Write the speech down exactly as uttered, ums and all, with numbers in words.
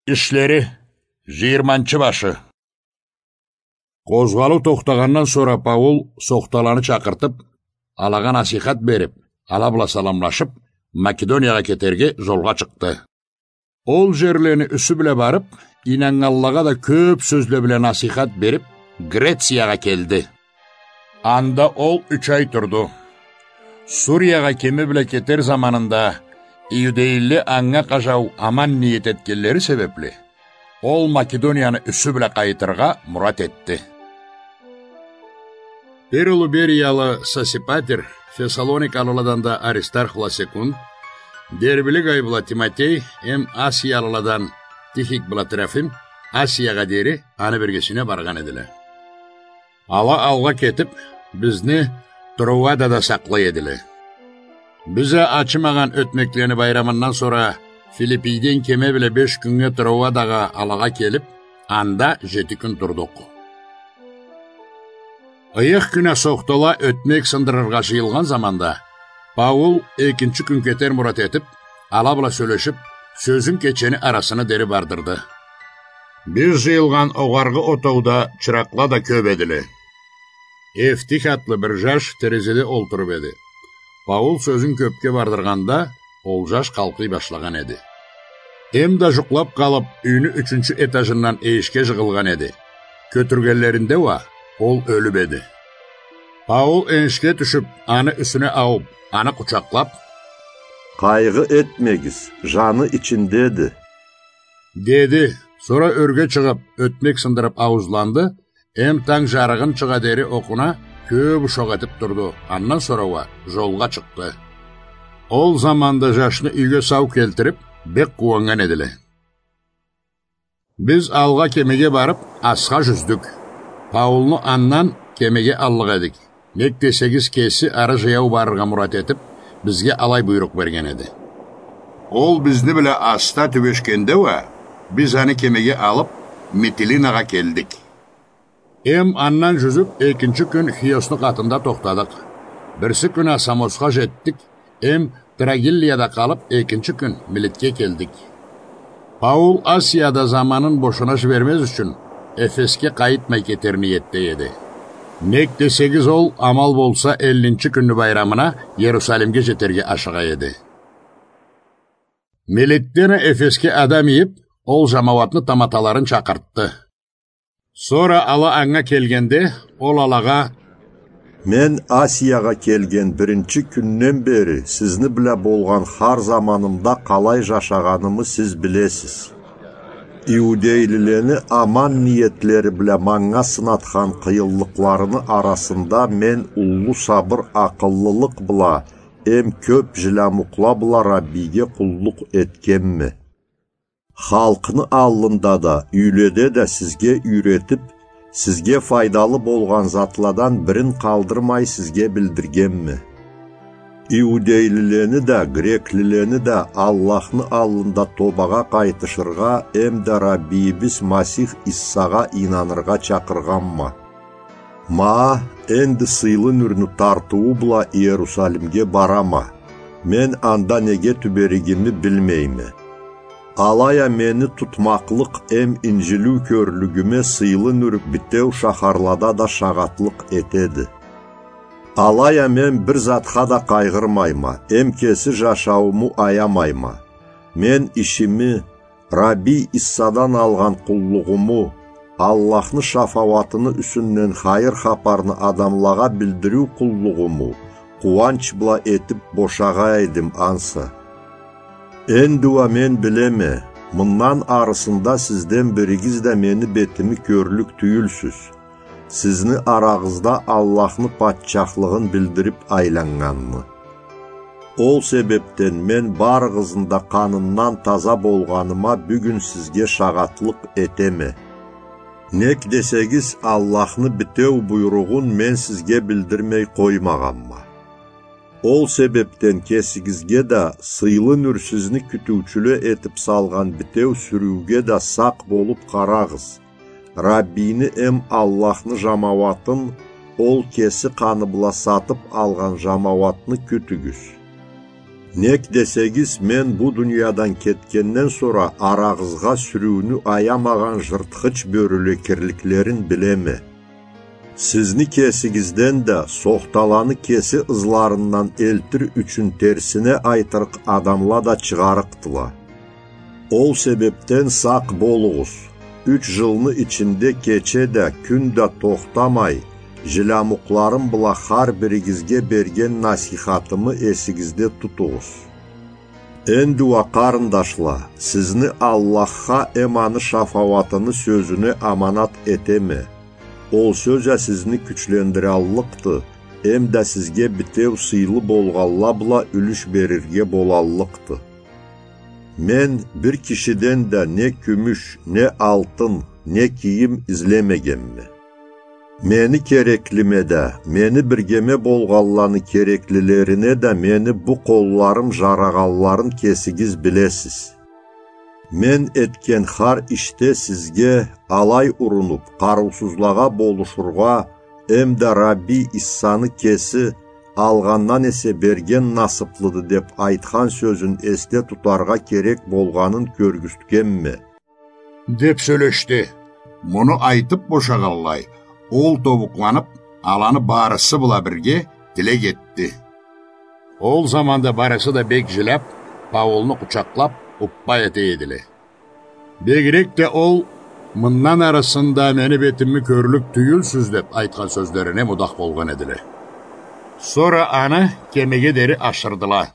Ишлери, жыйырманчы башы. Къозгъалыу тохтагъандан сора Паул сохталаны чакъыртып, алагъа насийхат берип, ала бла саламлашып, Македониягъа кетерге жолгъа чыкъды. Ол жерлени юсю бла барып, ийнаннганлагъа да кёп сёзле бла насийхат берип, Грециягъа келди. Анда ол юч ай турду. Суриягъа кеми бла кетер заманында, иудейлиле анга къажау аман ниет этгенлери себепли, ол Македонияны юсю бла къайтыргъа мурат этди. Бир улу Бериялы Сосипатер, Фессалоникалыладан да Аристарх бла Секунд, Дербели Гай бла Тимотей эм Асиялыладан Тихик бла Трофим Асиягъа дери аны биргесине баргъан эдиле. Ала алгъа кетип, бизни Троадада сакълай эдиле. Биз а ачымагъан ётмеклени байрамындан сора Филиппийден кеми бла беш кюннге Троадагъа алагъа келип, анда жети кюн турдукъ. Ыйых кюн а сохтала ётмек сындырыргъа жыйылгъан заманда, Паул экинчи кюн кетер мурат этип, ала бла сёлешип, сёзюн кечени арасына дери бардырды. Биз жыйылгъан огъаргъы отоуда чыракъла да кёп эдиле. Евтих атлы бир жаш терезеде олтуруп эди. Паул сёзюн кёпге бардыргъанда, ол жаш къалкъый башлагъан эди. Эм да жукълап къалып, юйню ючюнчю этажындан эшикге жыгъылгъан эди. Кётюргенлеринде уа ол ёлюп эди. Паул эшикге тюшюп, аны юсюне ауып, аны къучакълап: «Къайгъы этмегиз, жаны ичиндеди», — деди. Сора ёрге чыгъып, ётмек сындырып ауузланды, эм танг жарыгъынчыгъа дери окъуна кёп ушакъ этип турду. Андан сора уа жолгъа чыкъды. Ол заманда жашны юйге сау келтирип, бек къууаннган эдиле. Биз алгъа кемеге барып, асха жюздюк. Паулну андан кемеге аллыкъ эдик. Нек десегиз, кеси ары жаяу барыргъа мурат этип, бизге алай буйрукъ берген эди. Ол бизни бла аста тюбешгенде уа, биз аны кемеге алып, Митилинагъа келдик. Эм андан жюзюп, экинчи кюн Хиосну къатында тохтадыкъ. Бирси кюн а Самосха жетдик, эм Трогиллияда къалып, экинчи кюн Милетге келдик. Паул Асияда заманын бошуна жибермез ючюн, Эфесге къайтмай кетер ниетде эди. Нек десегиз, ол, амал болса, эллинчи кюнню байрамына Иерусалимге жетерге ашыгъа эди. Милетден а Эфесге адам ийип, ол жамауатны таматаларын чакъыртды. Сора ала анга келгенде, ол алагъа: «Мен Асиягъа келген биринчи кюнден бери сизни бла болгъан хар заманымда къалай жашагъанымы сиз билесиз. Иудейлилени аман ниетлери бла манга сынатхан къыйынлыкъларыны арасында мен уллу сабыр, акъыллылыкъ бла эм кёп жилямукъла бла Раббиге къуллукъ этгенме. Халкъны аллында да, юйледе да сизге юйретип, сизге файдалы болгъан затладан бирин къалдырмай сизге билдиргенме. Иудейлилени да, греклилени да Аллахны аллында тобагъа къайтышыргъа эмда Раббийибиз Масих Иссагъа ийнаныргъа чакъыргъанма. Ма, энди сыйлы нюрню тартыуу бла Иерусалимге барама. Мен анда неге тюберигими билмейме. Алай а мени тутмакълыкъ эм инжилиу кёрлюгюме сыйлы нюр битеу шахарлада да шагъатлыкъ этеди. Алай а мен бир затха да къайгъырмайма, эм кеси жашаууму аямайма. Мен ишими, Раббий Иссадан алгъан къуллугъуму, Аллахны шафауатыны юсюнден хайыр хапарны адамлагъа билдириу къуллугъуму къууанч бла этип бошагъа эдим ансы. Энди уа мен билеме, мындан арысында сизден биригиз да мени бетими кёрлюк тюйюлсюз, сизни арагъызда Аллахны патчахлыгъын билдирип айланнганны. Ол себепден мен барыгъызны да къанындан таза болгъаныма бюгюн сизге шагъатлыкъ этеме. Нек десегиз, Аллахны битеу буйругъун мен сизге билдирмей къоймагъанма. Ол себепден кесигизге да, сыйлы нюр сизни кютюучюле этип салгъан битеу сюрюуге да сакъ болуп къарагъыз. Раббийни эм Аллахны жамауатын, ол кеси къаны бла сатып алгъан жамауатны кютюгюз. Нек десегиз, мен бу дуниядан кетгенден сора арагъызгъа сюрюуню аямагъан жыртхыч бёрюле кирликлерин билеме. Сизни кесигизден да, сохталаны кеси ызларындан элтир ючюн терсине айтырыкъ адамла да чыгъарыкъдыла. Ол себепден сакъ болугъуз. Юч жылны ичинде кече да, кюн да тохтамай, жилямукъларым бла хар биригизге берген насийхатымы эсигизде тутугъуз. Энди уа, къарындашла, сизни Аллахха эм аны шафауатыны сёзюне аманат этеме. Ол сёз а сизни кючлендираллыкъды, эм да сизге битеу сыйлы болгъанла бла юлюш берирге болаллыкъды. Мен бир кишиден да не кюмюш, не алтын, не кийим излемегенме. Мени кереклиме да, мени биргеме болгъанланы кереклилерине да мени бу къолларым жарагъанларын кесигиз билесиз. Мен этген хар ишде сизге, алай урунуп, къарыусузлагъа болушургъа, эм да Рабби Иссаны кеси, алгъандан эсе берген насыплыды деп айтхан сёзюн эсде тутаргъа керек болгъанын кёргюзтгенме. Деп сёлешди. Муну айтып бошагъанлай, ол тобукъланып, аланы барысы бла бирге тилек этди. Ол заманда барысы да бек жиляп, Паулну къучакълап, уппа эте эдиле. Бегирек да ол: «Мындан арысында мени бетими кёрлюк тюйюлсюз», — деп айтхан сёзлерине мудах болгъан эдиле. Сора аны кемеге дери ашырдыла.